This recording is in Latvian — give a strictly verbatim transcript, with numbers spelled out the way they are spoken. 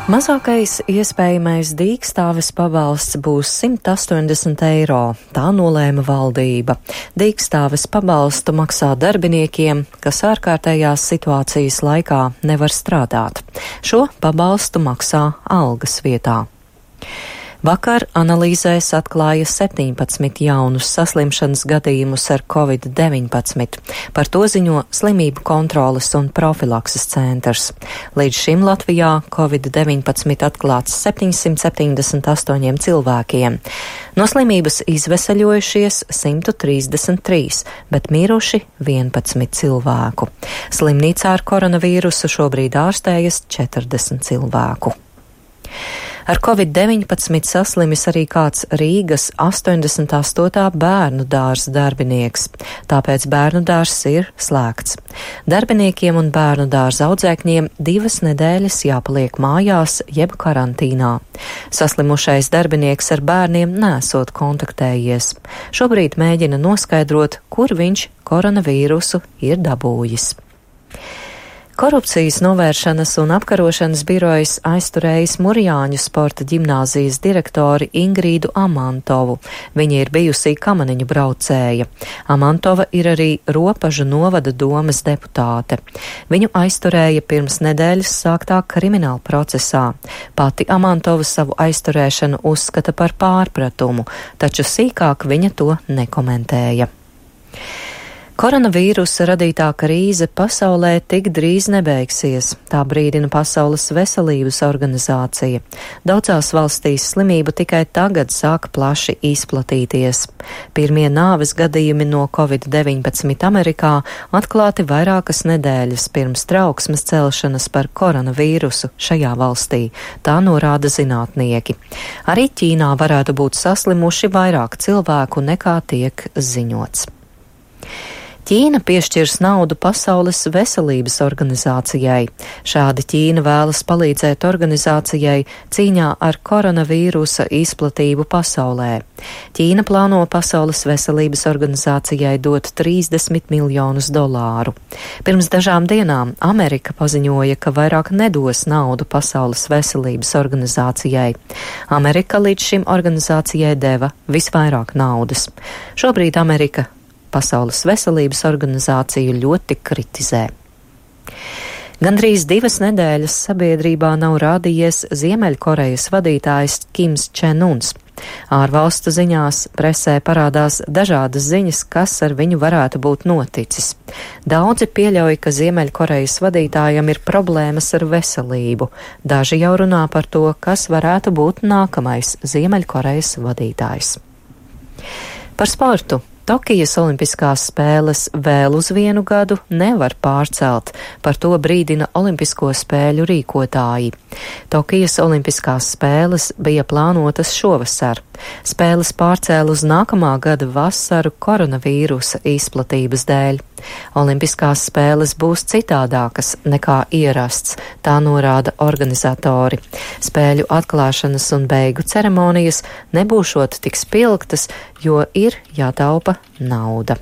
Mazākais iespējamais dīkstāves pabalsts būs simt astoņdesmit eiro. Tā nolēma valdība. Dīkstāves pabalstu maksā darbiniekiem, kas ārkārtējās situācijas laikā nevar strādāt. Šo pabalstu maksā algas vietā. Vakar analīzēs atklāja septiņpadsmit jaunus saslimšanas gadījumus ar covid deviņpadsmit. Par to ziņo Slimību kontroles un profilakses centrs. Līdz šim Latvijā covid deviņpadsmit atklāts septiņsimt septiņdesmit astoņiem cilvēkiem. No slimības izveseļojušies simt trīsdesmit trīs, bet miruši vienpadsmit cilvēku. Slimnīcā ar koronavīrusu šobrīd ārstējas četrdesmit cilvēku. Ar covid deviņpadsmit saslimis arī kāds Rīgas astoņdesmit astotā bērnu dārza darbinieks, tāpēc bērnu dārzs ir slēgts. Darbiniekiem un bērnu dārza audzēkņiem divas nedēļas jāpaliek mājās jeb karantīnā. Saslimušais darbinieks ar bērniem nesot kontaktējies. Šobrīd mēģina noskaidrot, kur viņš koronavīrusu ir dabūjis. Korupcijas novēršanas un apkarošanas birojas aizturējis Murjāņu sporta ģimnāzijas direktori Ingrīdu Amantovu. Viņa ir bijusī kamaniņu braucēja. Amantova ir arī Ropažu novada domes deputāte. Viņu aizturēja pirms nedēļas sāktā krimināla procesā. Pati Amantova savu aizturēšanu uzskata par pārpratumu, taču sīkāk viņa to nekomentēja. Koronavīrusa radītā krīze pasaulē tik drīz nebeigsies, tā brīdina Pasaules veselības organizācija. Daudzās valstīs slimība tikai tagad sāk plaši izplatīties. Pirmie nāves gadījumi no covid deviņpadsmit Amerikā atklāti vairākas nedēļas pirms trauksmes celšanas par koronavīrusu šajā valstī, tā norāda zinātnieki. Arī Ķīnā varētu būt saslimuši vairāk cilvēku nekā tiek ziņots. Ķīna piešķirs naudu Pasaules veselības organizācijai. Šādi Ķīna vēlas palīdzēt organizācijai cīņā ar koronavīrusa izplatību pasaulē. Ķīna plāno Pasaules veselības organizācijai dot trīsdesmit miljonus dolāru. Pirms dažām dienām Amerika paziņoja, ka vairāk nedos naudu Pasaules veselības organizācijai. Amerika līdz šim organizācijai deva visvairāk naudas. Šobrīd Amerika Pasaules veselības organizāciju ļoti kritizē. Gandrīz divas nedēļas sabiedrībā nav rādījies Ziemeļkorejas vadītājs Kims Čen Uns. Ārvalstu ziņās presē parādās dažādas ziņas, kas ar viņu varētu būt noticis. Daudzi pieļauj, ka Ziemeļkorejas vadītājam ir problēmas ar veselību. Daži jau runā par to, kas varētu būt nākamais Ziemeļkorejas vadītājs. Par sportu. Tokijas olimpiskās spēles vēl uz vienu gadu nevar pārcelt, par to brīdina Olimpisko spēļu rīkotāji. Tokijas olimpiskās spēles bija plānotas šovasar. Spēles pārcēla uz nākamā gada vasaru koronavīrusa izplatības dēļ. Olimpiskās spēles būs citādākas nekā ierasts, tā norāda organizatori. Spēļu atklāšanas un beigu ceremonijas nebūšot tik spilgtas, jo ir jātaupa nauda.